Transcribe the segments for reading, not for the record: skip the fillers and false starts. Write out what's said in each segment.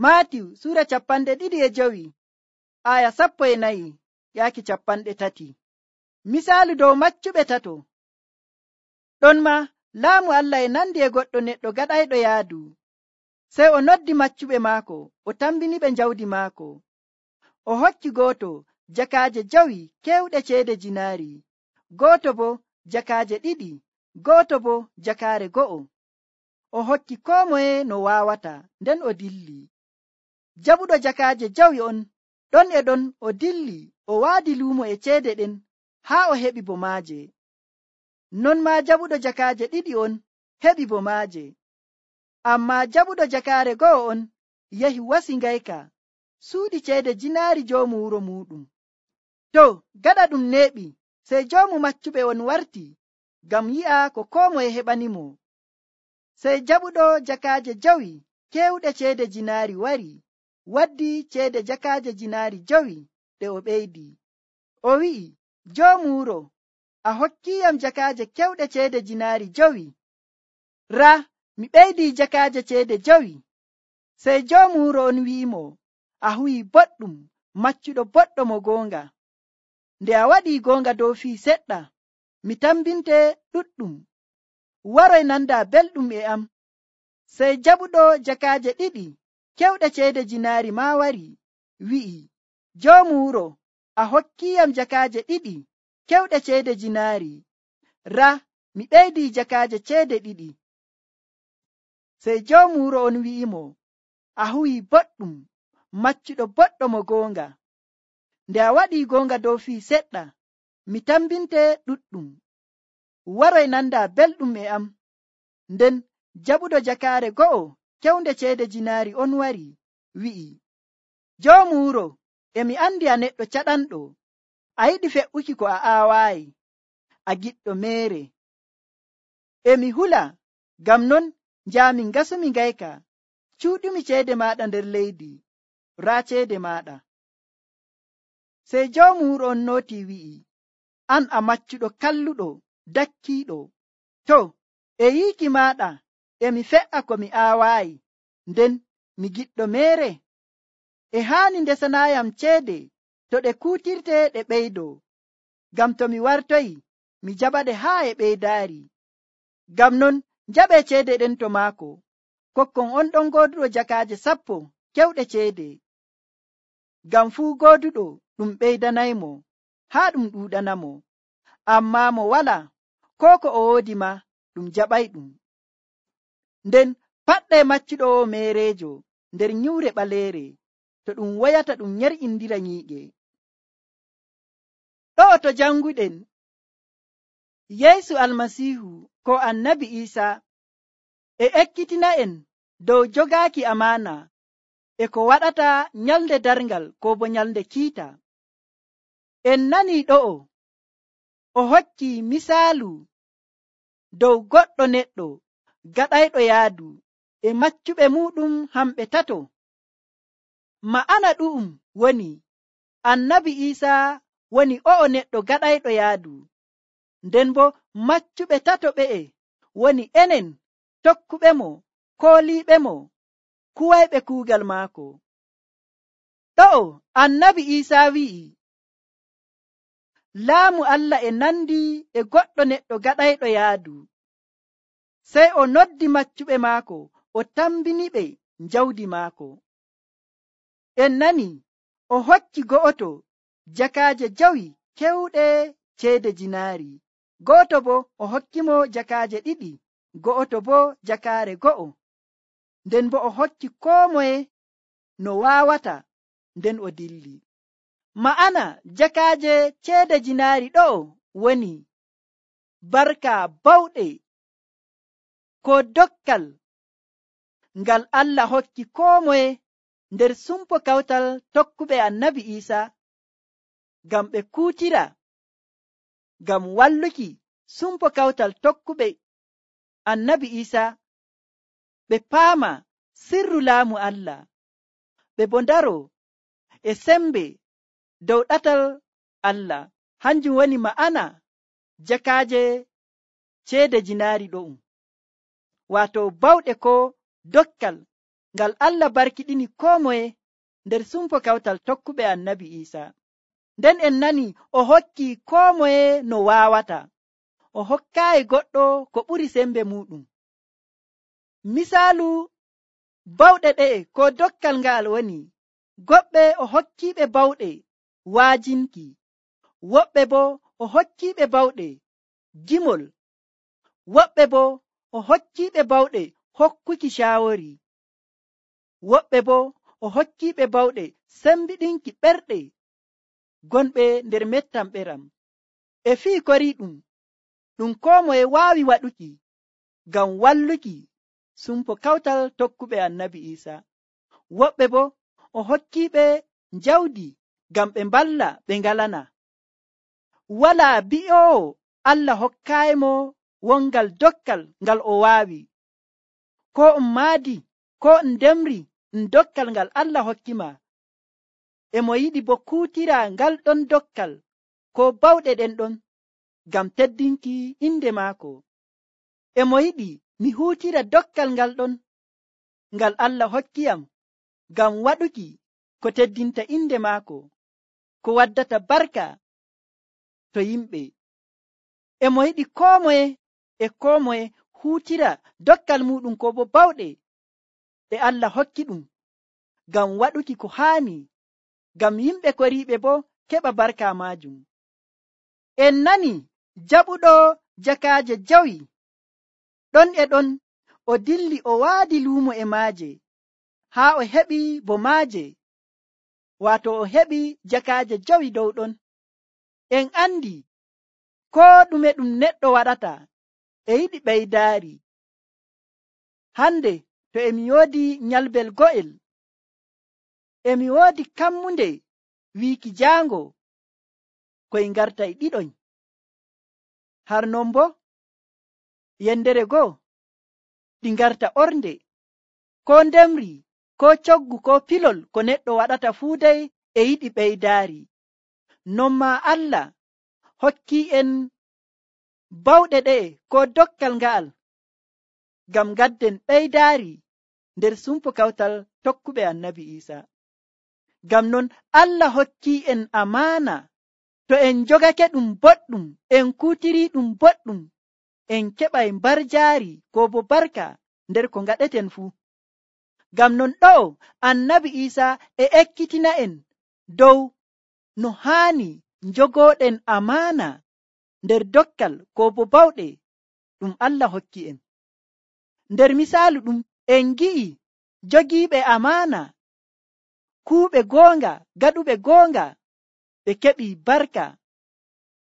Maatiw sura 25 aya 14 yaaki 30. Misaalu dow maccuɓe tato. Ɗon ma laamu Allah e nandi e goɗɗo neɗɗo gaɗayɗo yaadu. Sey o noddi maccuɓe maako, o tambiniɓe jawdi maako. O hokki gooto jakaaje 5 kewɗe ceede jinaari, gooto bo jakaaje 2, gooto bo jakaare 1. O hokki koo moye no waawata, nden o dilli. Jaɓuɗo jakaaje 5 on, ɗon e ɗon o dilli, o waadi luumo e ceede ɗen haa o heɓi bo maaje. Non maa jaɓuɗo jakaaje 2 on heɓi bo maaje. Ammaa jaɓuɗo jakaare 1 on yahi wasi ngayka, suuɗi ceede jinaari joomu wuro muuɗum. To gaɗa ɗum neeɓi, sey joomu maccuɓe on warti ngam yi'a ko koo moye heɓanimo. Sey jaɓuɗo jakaaje 5 kewɗe ceede jinaari wari, waddi ceede jakaaje jinaari 5 ɗe o ɓeydi. O wi'i, joomu wuro, a hokkiyam jakaaje kewɗe ceede jinaari 5. Raa, mi ɓeydii jakaaje ceede 5. Sey joomu wuro on wi'imo, a huwii boɗɗum, maccuɗo boɗɗo mo goonga. Nde a waɗii goonga dow fii seɗɗa, mi tambinte ɗuɗɗum. Waroy nanda belɗum e am. Sey jaɓuɗo jakaaje 2 kewɗe ceede jinaari maa wari, wi'i, joomu wuro, a hokkiyam jakaaje 2 kewɗe ceede jinaari. Raa, mi ɓeydii jakaaje ceede 2. Sey joomu wuro on wi'imo, a huwii boɗɗum, maccuɗo boɗɗo mo goonga. Nde a waɗii goonga dow fii seɗɗa, mi tambinte ɗuɗɗum. Waroy nanda belɗum e am. Nden jaɓuɗo jakaare 1 kewnde ceede jinaari on wari, wi'i, joomu wuro, emi andi a neɗɗo caɗanɗo, a yiɗi fe'uki ko a aawaayi, a giɗɗo meere. Emi hula, ngam non njaami ngasumi ngayka, cuuɗumi ceede maaɗa nder leydi, raa ceede maaɗa. Sey joomu wuro on nootii wi'i, an a maccuɗo kalluɗo, dakkiiɗo. To, e yiiki maaɗa emi fe'a ko mi aawaayi, nden mi giɗɗo meere. E haani ndesanaayam ceede to ɗe kuutirte ɗe ɓeydoo, ngam to mi wartoyi mi jaɓaɗe haa e ɓeydaari. Ngam non jaɓee ceede ɗen to maako, kokkon on ɗon gooduɗo jakaaje 10 kewɗe ceede. Ngam fuu gooduɗo ɗum ɓeydanaymo, haa ɗum ɗuuɗanamo. Ammaa mo walaa, koo ko o woodi ma ɗum jaɓayɗum. Nden paɗɗee maccuɗo o meereejo nder nyiwre ɓaleere, to ɗum woyata ɗum nyer'indira nyiiƴe. Ɗo'o to janguɗen, Yeesu Almasiihu ko Annabi Iisaa e ekkitina'en dow jogaaki amaana e ko waɗata nyalde darngal ko bo nyalde kiita. En nanii ɗo'o o hokki misaalu dow goɗɗo neɗɗo gaɗayɗo yaadu e maccuɓe muuɗum hamɓe tato. Ma'ana ɗu'um woni Annabi Iisaa woni o'o neɗɗo gaɗayɗo yaadu, nden bo maccuɓe tato ɓe'e woni enen tokkuɓemo, kooliiɓemo, kuwayɓe kuugal maako. Ɗo'o Annabi Iisaa wi'i, laamu Allah e nandi e goɗɗo neɗɗo gaɗayɗo yaadu. Sey o noddi maccuɓe maako, o tambiniɓe jawdi maako. En nani o hokki go'oto jakaaje 5 kewɗe ceede jinaari, gooto bo o hokkimo jakaaje 2, go'oto bo jakaare 1. Nden bo o hokki koo moye no waawata, nden o dilli. Ma'ana jakaaje ceede jinaari ɗo'o woni barka bawɗe ko dokkal ngal Allah hokki koo moye nder sumpo kawtal tokkuɓe Annabi Iisaa, ngam ɓe kuutira, ngam walluki sumpo kawtal tokkuɓe Annabi Iisaa, ɓe paama sirru laamu Allah, ɓe bo ndaro e sembe dow ɗatal Allah. Hanjum woni ma'ana jakaaje ceede jinaari ɗo'um, waato bawɗe ko dokkal ngal Allah barkiɗini koo moye nder sumpo kawtal tokkuɓe annabi Iisa. Nden en nani o hokki koo moye no waawata, o hokkaayi goɗɗo ko ɓuri sembe muɗum. Misaalu bawɗe ɗe'e ko dokkal nga'al woni, goɗɓe o hokkiiɓe bawɗe waajinki, woɓɓe bo o hokkiiɓe bawɗe gimol, woɓɓe bo o hokkiiɓe bawɗe hokkuki shaawori, woɓɓe bo o hokkiiɓe bawɗe sembiɗinki ɓerɗe gonɓe nder mettam ɓeram. E fii kori ɗum koo moye waawi waɗuki ngam walluki sumpo kawtal tokkuɓe annabi Iisa. Woɓɓe bo o hokkiiɓe njawdi ngam ɓe mballa ɓe ngalana. Walaa bi'oowo Allah hokkaayimo wongal dokkal ngal o waawi, ko maadi ko ndemri dokkal ngal Allah hokkima, e mo yiɗi bo kuutira ngal ɗon dokkal ko bawɗe ɗen ɗon ngam teddinki inde maako. E mo yiɗi mi huutira dokkal ngal ɗon ngal Allah hokkiyam ngam waɗuki ko teddinta inde maako, ko waddata barka to yimɓe. E mo yiɗi koo moye huutira dokkal muɗum ko bo bawɗe ɗe Allah hokki ɗum ngam waɗuki ko haani, ngam yimɓe koriiɓe bo keɓa barka maajum. En nani jaɓuɗo jakaaje jawi ɗon e ɗon o dilli o waadi luumo e maaje haa o heɓi bo maaje, waato o heɓi jakaaje jawi dow ɗon. En andi koo ɗume ɗum neɗɗo waɗata e yiɗi ɓeydaari. Hande to emi woodi nyalbel go'el, emi woodi kammunde wiiki jaango koye ngartay ɗiɗoñ. Har non bo yendere goo ɗi ngarta ornde, ko ndemri, ko coggu, ko pilol ko neɗɗo waɗata fuu dey e yiɗi ɓeydaari. Non maa Allah hokki en bawɗe ɗe'e ko dokkal nga'al ngam gadden ɓeydaari nder sumpo kawtal tokkuɓe annabi Iisa. Ngam non Allah hokki en amaana, to en jogake ɗum boɗɗum, en kuutiri ɗum boɗɗum, en keɓay mbarjaari ko bo barka nder ko ngaɗeten fuu. Ngam non ɗo'o annabi Iisa e ekkitina en dow no haani njogooɗen amaana nder dokkal ko bo bawɗe ɗum Allah hokki en. Nder misaalu ɗum en gi'i jogiiɓe amaana, kuuɓe goonga, gaɗuɓe goonga, ɓe keɓi barka,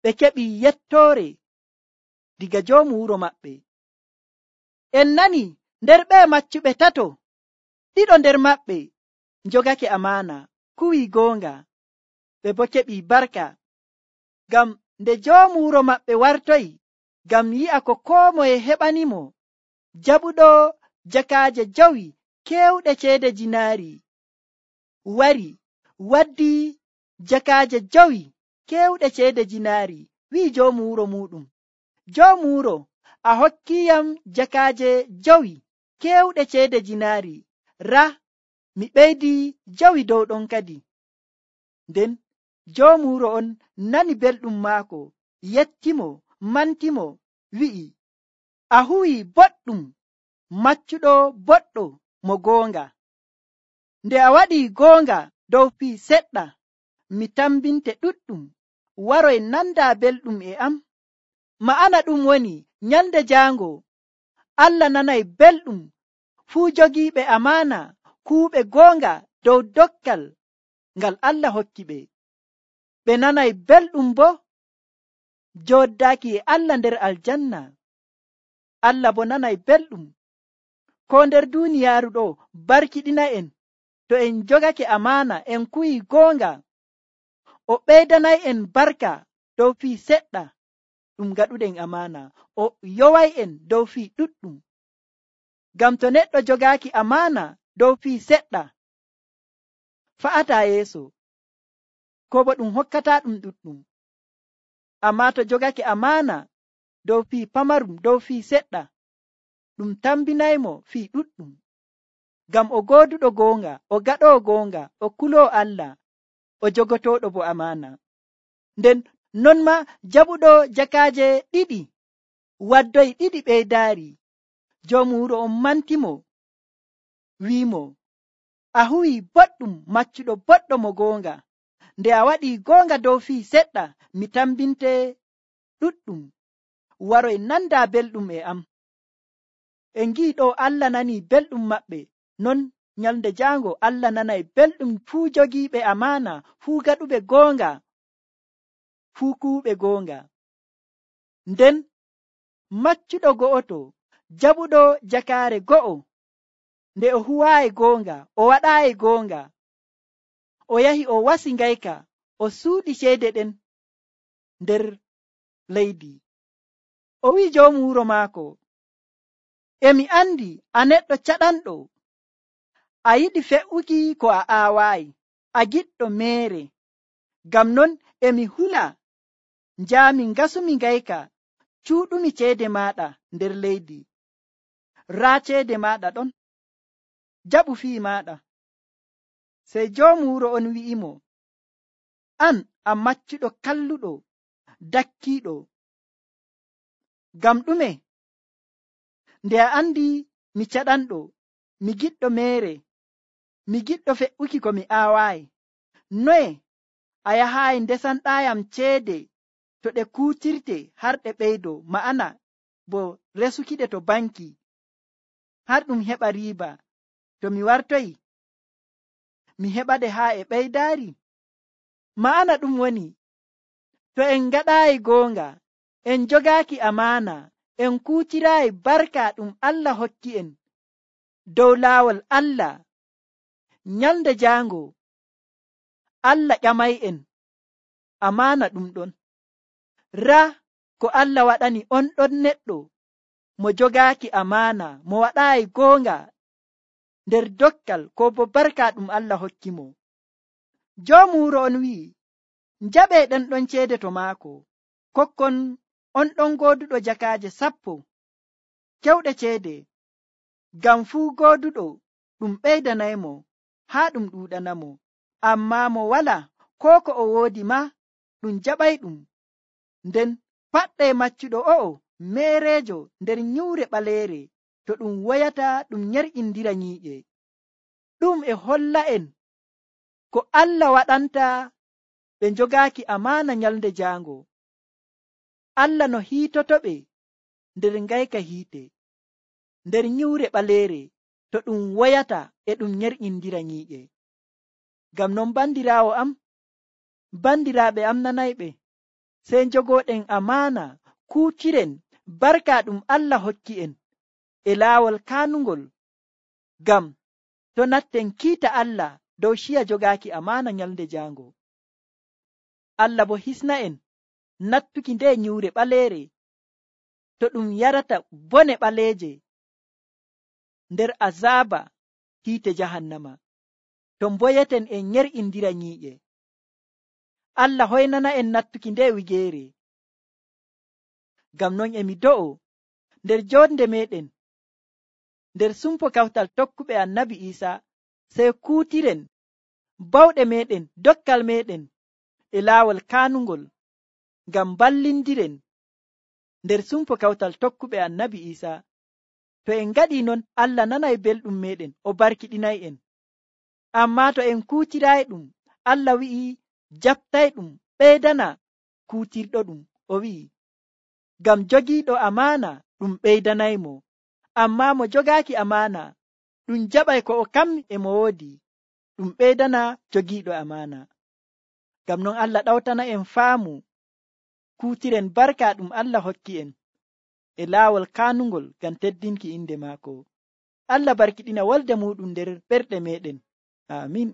ɓe keɓi yettoore diga joomu wuro maɓɓe. En nani nder ɓe maccuɓe tato, ɗiɗo nder maɓɓe njogake amaana, kuwi goonga, ɓe bo keɓi barka. Ngam nde joomu wuro maɓɓe wartoyi ngam yi'a ko koo moye heɓanimo, jaɓuɗo jakaaje jawi keewɗe ceede jinaari wari waddi jakaaje jawi keewɗe ceede jinaari, wi'i joomu wuro muɗum, joomu wuro a hokkiyam jakaaje jawi keewɗe ceede jinaari, raa mi ɓeydi jawi dow ɗon kadi. Nden joomu wuro on nani belɗum maako, yettimo, mantimo, wi'i a huwi boɗɗum, maccuɗo boɗɗo mo goonga. Nde a waɗi goonga dow fii seɗɗa, mi tambinte ɗuɗɗum, waroy nanda belɗum e am. Ma'ana ɗum woni nyalde jaango Allah nanay belɗum fuu jogiiɓe amaana, kuuɓe goonga dow dokkal ngal Allah hokki ɓe. Ɓe nanay belɗum bo jooddaaki e Allah nder aljanna. Allah bo nanay belɗum ko nder duuniyaaru ɗo barkiɗina en to en jogake amaana, en kuwi goonga, o ɓeydanay en barka dow fii seɗɗa ɗum gaɗuɗen amaana, o yoway en dow fii ɗuɗɗum. Ngam to neɗɗo jogaaki amaana dow fii seɗɗa, fa'ataa yeeso, ko bo ɗum hokkata ɗum ɗuɗɗum. Ammaa to jogake amaana dow fii pamarum, dow fii seɗɗa, ɗum tambinaymo fii ɗuɗɗum. ngam o gooduɗo goonga, o gaɗoo goonga, o kuloo Allah, o jogotooɗo bo amaana. Nden non ma jaɓuɗo jakaaje ɗiɗi waddoyi ɗiɗi ɓeydaari. Joomu wuro on mantimo, wi'imo, a huwii boɗɗum, maccuɗo boɗɗo mo goonga. Nde a waɗii goonga dow fii seɗɗa, mi tambinte ɗuɗɗum waroy nanda belɗum e am. En ngi'i ɗo Allah nanii belɗum maɓɓe, non nyalnde jaango Allah nanay belɗum fuu jogiiɓe amaana, fuu gaɗuɓe goonga, fuu kuuɓe goonga. Nden maccuɗo go'oto jaɓuɗo jakaare go'o, nde o huwaayi goonga, o waɗaayi goonga, o yahi o wasi ngayka, o suuɗi ceede ɗen nder leydi. O wi'i joomu wuro maako, emi andi a neɗɗo caɗanɗo, a yiɗi fe'uki ko a aawaayi, a giɗɗo meere. Ngam non emi hula njaami ngasumi ngayka, cuuɗumi ceede maaɗa nder leydi. Raa ceede maaɗa ɗon, jaɓu fii maaɗa. Sey joomu wuro on wi'imo, an a maccuɗo kalluɗo, dakkiiɗo. Ngam ɗume? Nde a andi mi caɗanɗo, mi giɗɗo meere, mi giɗɗo fe'uki ko mi aawaayi, noye a yahaayi ndesanɗaayam ceede to ɗe kuutirte har ɗe ɓeydo, ma'ana bo resukiɗe to banki har ɗum heɓa riiba. To mi wartoyi mi heɓaɗe haa e ɓeydaari. Ma'ana ɗum woni, to en ngaɗaayi goonga, en jogaaki amaana, en kuutiraayi barka ɗum Allah hokki en dow laawol Allah, nyalnde jaango Allah ƴamay'en amaana ɗum ɗon. Raa ko Allah waɗani on ɗon neɗɗo mo jogaaki amaana, mo waɗaayi goonga nder dokkal ko bo barka ɗum Allah hokki mo. Joomu wuro on wi'i, njaɓee ɗen ɗon ceede to maako, kokkon on ɗon gooduɗo jakaaje 10 kewɗe ceede, ngam fuu gooduɗo ɗum ɓeydanaymo haa ɗum ɗuuɗanamo. Ammaa mo wala koo ko o woodi ma ɗum jaɓay ɗum. Nden paɗɗee maccuɗo o'o meereejo nder nyuure ɓaleere, to ɗum woyata ɗum nyerƴindira nyiiƴe. Ɗum e holla en ko Allah waɗanta ɓe jogaaki amaana nyalnde jaango. Allah no hiitotoɓe nder ngayka hiite, nder nyuure ɓaleere, to ɗum woyata e ɗum nyerƴindira nyiiƴe. Ngam non bandiraawo am, bandiraaɓe am nanayɓe, sey jogooɗen amaana, kuutiren barka ɗum Allah hokki en e laawol kaanungol, ngam to natten kiita Allah dow ciya jogaaki amaana nyalnde jaango. Allah bo hisna en nattuki nde nyuure ɓaleere, to ɗum yarata bone ɓaleeje nder azaaba hiite jahannama, to mboyeten en nyer'indira nyiiƴe. Allah hoynana en nattuki nde wigeere. Ngam non emi do'o nder jonde meɗen, nder sumpo kawtal tokkuɓe annabi Isa, sey kuutiren bawɗe meɗen, dokkal meɗen e laawol kaanungol, ngam ballindiren nder sumpo kawtal tokkuɓe annabi Isa. To en ngaɗi non, Allah nanay belɗum meɗen, o barkiɗinay en. Ammaa to en kuutirayi ɗum, Allah wi'i jaɓtay ɗum, ɓeydana kuutirɗo ɗum. O wi'i, ngam jogiiɗo amaana ɗum ɓeydanaymo, ammaa mo jogaaki amaana ɗum jaɓay ko o kam e mo woodi, ɗum ɓeydana jogiiɗo amaana. Ngam non Allah ɗawtana en faamu, kuutiren barka ɗum Allah hokki en e laawol kaanungol ngam teddinki inde maako. Allah barkiɗina wolde muɗum nder ɓerɗe meɗen. Amin.